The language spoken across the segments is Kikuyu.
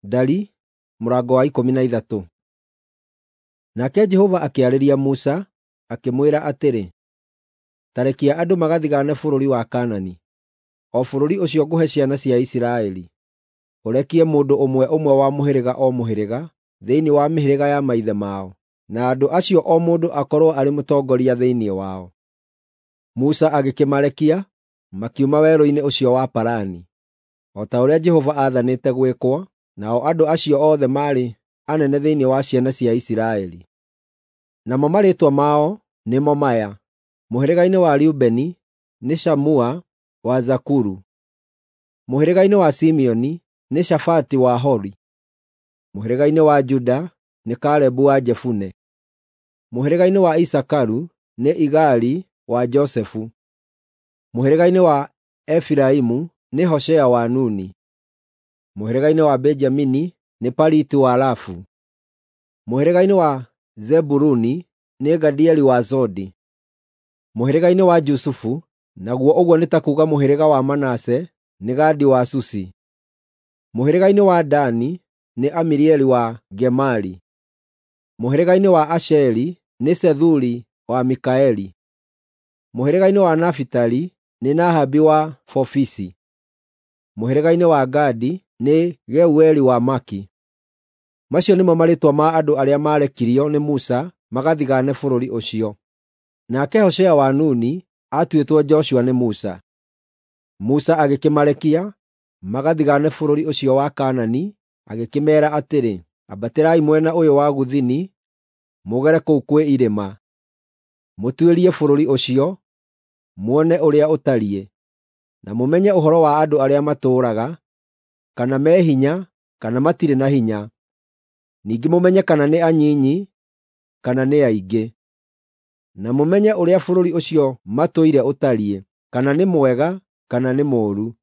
Ndari mũrango wa 13. Nake Jehova akĩarĩria Musa, akĩmwĩra atĩrĩ, “Ta rekia andũ magathigaane bũrũri wa Kaanani, o bũrũri ũcio ngũhe ciana cia Isiraeli. Ũrekie mũndũ ũmwe ũmwe wa mũhĩrĩga o mũhĩrĩga thĩinĩ wa mĩhĩrĩga ya maithe mao, na andũ acio o mũndũ akorwo arĩ mũtongoria thĩinĩ wao.” Musa agĩkĩmarekia, makiuma werũ-inĩ ũcio wa Parani, o ta ũrĩa Jehova aathanĩte gwĩkwo, nao andũ acio othe maarĩ anene thĩinĩ wa ciana cia Isiraeli. Namo marĩĩtwa mao nĩmo maya: Mũhĩrĩga-inĩ wa Rubeni nĩ Shamua wa Zakuru; mũhĩrĩga-inĩ wa Simeoni nĩ Shafati wa Hori; mũhĩrĩga-inĩ wa Juda nĩ Kalebu wa Jefune; mũhĩrĩga-inĩ wa Isakaru nĩ Igali wa Josefu; mũhĩrĩga-inĩ wa Efiraimu nĩ Hoshea wa Nuni; mũhĩrĩga-inĩ wa Benjamini nĩ Paliti wa Rafu; mũhĩrĩga-inĩ wa Zebuluni nĩ Gadieli wa Zodi; mũhĩrĩga-inĩ wa Jusufu, naguo ũguo nĩ ta kuuga mũhĩrĩga wa Manase, nĩ Gadi wa Susi; mũhĩrĩga-inĩ wa Dani nĩ Amirieli wa Gemali; mũhĩrĩga-inĩ wa Asheri nĩ Sethuri wa Mikaeli; mũhĩrĩga-inĩ wa Nafitali nĩ Nahabi wa Vofisi; mũhĩrĩga-inĩ wa Gadi nĩ Geueli wa Maki. Macio nĩmo marĩĩtwa ma andũ arĩa maarekirio nĩ Musa magathigaane bũrũri ũcio. Nake Hoshea wa Nuni aatuĩtwo Joshua nĩ Musa. Musa agĩkĩmarekia magathigaane bũrũri ũcio wa Kaanani, agĩkĩmeera atĩrĩ, “Ambatĩrai mwena ũyũ wa gũthini mũgere kũu kwĩ irĩma, mũtuĩrie bũrũri ũcio, muone ũrĩa ũtariĩ, na mũmenye ũhoro wa andũ arĩa matũũraga, kana me hinya kana matirĩ na hinya, ningĩ mũmenye kana nĩ anyinyi kana nĩ aingĩ. Na mũmenye ũrĩa bũrũri ũcio matũire ũtariĩ, kana nĩ mwega kana nĩ mũũru.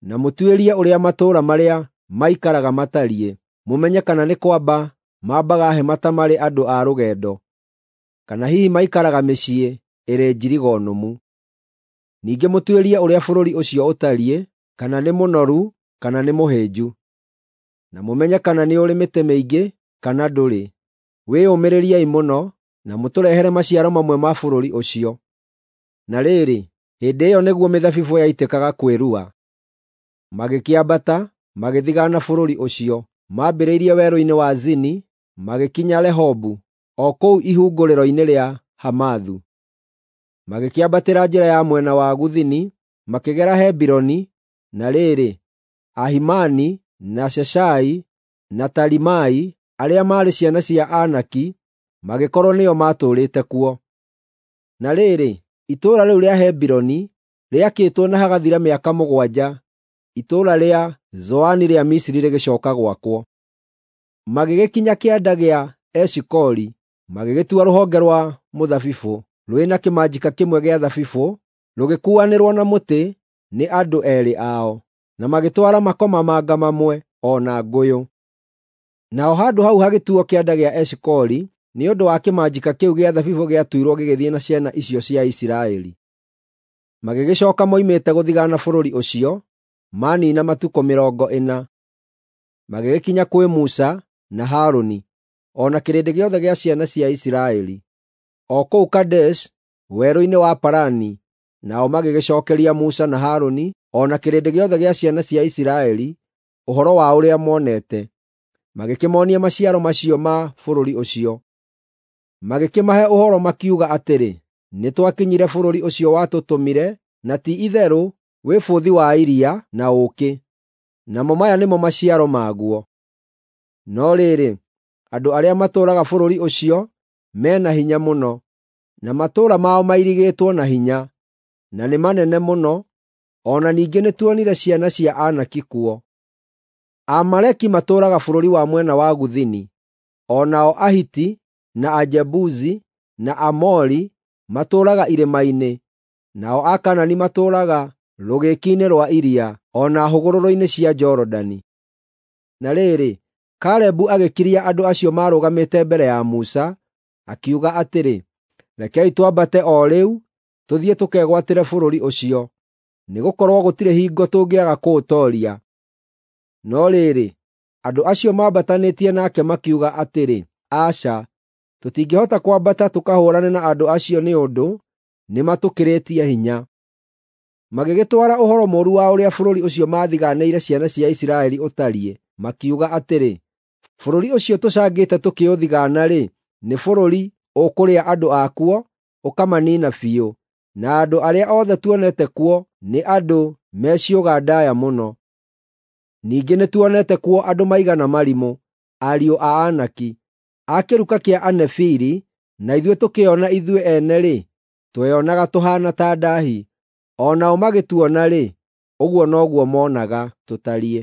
Na mũtuĩrie ũrĩa matũũra marĩa maikaraga matariĩ, mũmenye kana nĩ kwamba mambaga hema ta marĩ andũ a rũgendo, kana hihi maikaraga mĩciĩ ĩrĩ njirigo nũmu. Ningĩ mũtuĩrie ũrĩa bũrũri ũcio ũtariĩ, kana nĩ mũnoru kana nĩ mũhĩnju. Na mũmenye kana nĩ ũrĩ mĩtĩ mĩingĩ kana ndũrĩ. Wĩyũmĩrĩriei mũno, na mũtũrehere maciaro mamwe ma bũrũri ũcio.” Na rĩrĩ, hĩndĩ ĩyo nĩguo mĩthabibũ yaitĩkaga kwĩrua. Magĩkĩambata, magĩthigaana bũrũri ũcio, maambĩrĩirie werũ-inĩ wa Zini, magĩkinya Rehobu, o kũu ihungũrĩro-inĩ rĩa Hamathu. Magĩkĩambatĩra njĩra ya mwena wa gũthini, makĩgera Hebironi, na rĩrĩ, Ahimani, na Sheshai, na Talimai, arĩa maarĩ ciana cia Anaki, magĩkorwo nĩo maatũũrĩte kuo. Na rĩrĩ, itũũra rĩu rĩa Hebironi rĩakĩtwo na hagathira mĩaka 7, itũũra rĩa Zoani rĩa Misiri rĩgĩcooka gwakwo. Magĩgĩkinya kĩanda gĩa Eshikoli, magĩgĩtua rũhonge rwa mũthabibũ rwĩna kĩmanjĩka kĩmwe gĩa thabibũ, rũgĩkuuanĩrwo na mũtĩ nĩ andũ eerĩ ao, na magĩtwara makomamanga mamwe o na ngũyũ. Naho handũ hau hagĩtuuo Kĩanda gĩa Eshikoli nĩ ũndũ wa kĩmanjĩka kĩu gĩa thabibũ gĩatuirwo gĩgĩthiĩ na ciana icio cia Isiraeli. Magĩgĩcooka moimĩte gũthigaana bũrũri ũcio, maaniina matukũ 40. Magĩgĩkinya kwĩ Musa na Harũni, o na kĩrĩndĩ gĩothe gĩa ciana cia Isiraeli, o kũu Kadeshi werũ-inĩ wa Parani, nao magĩgĩcookeria Musa na Harũni, o na kĩrĩndĩ gĩothe gĩa ciana cia Isiraeli ũhoro wa ũrĩa monete, magĩkĩmoonia maciaro macio ma bũrũri ũcio. Magĩkĩmahe ũhoro makiuga atĩrĩ, “Nĩtwakinyire bũrũri ũcio watũtũmire, na ti-itherũ wĩ bũthi wa iria na ũũkĩ, namo maya nĩmo maciaro maguo. No rĩrĩ, andũ arĩa matũũraga bũrũri ũcio me na hinya mũno, na matũũra mao mairigĩtwo na hinya, na nĩ manene mũno, o na ningĩ nĩtuonire ciana cia Anaki kuo. Aamaleki matũũraga bũrũri wa mwena wa gũthini, o nao Ahiti, na Ajebusi, na Aamori matũũraga irĩma-inĩ, nao Akaanani matũũraga rũgĩki-inĩ rwa iria, o na hũgũrũrũ-inĩ cia Jorodani.” Na rĩrĩ, Kalebu agĩkiria andũ acio maarũgamĩte mbere ya Musa, akiuga atĩrĩ, “Rekei twambate o rĩu tũthiĩ tũkegwatĩre bũrũri ũcio, nĩgũkorwo gũtirĩ hingo tũngĩaga kũũtooria.” No rĩrĩ, Andũ acio maambatanĩtie nake makiuga atĩrĩ, “Aca, tũtingĩhota kwambata tũkahũũrane na andũ acio nĩ ũndũ nĩmatũkĩrĩtie hinya.” Magĩgĩtwara ũhoro mũũru wa ũrĩa bũrũri ũcio maathigaanĩire ciana cia Isiraeli ũtariĩ, makiuga atĩrĩ, “Bũrũri ũcio tũcangĩte tũkĩũthigaana-rĩ, nĩ bũrũri ũkũrĩa andũ akuo, ũkamaniina biũ, na andũ arĩa othe tuonete kuo nĩ andũ me ciũga ndaaya mũno. Ningĩ nĩtuonete kuo andũ maigana marimũ, ariũ a Anaki, a kĩruka kĩa Anefili, na ithuĩ tũkĩona ithuĩ ene-rĩ, tweyonaga tũhaana ta ndaahi. O nao magĩtuona-rĩ, ũguo noguo moonaga tũtariĩ.”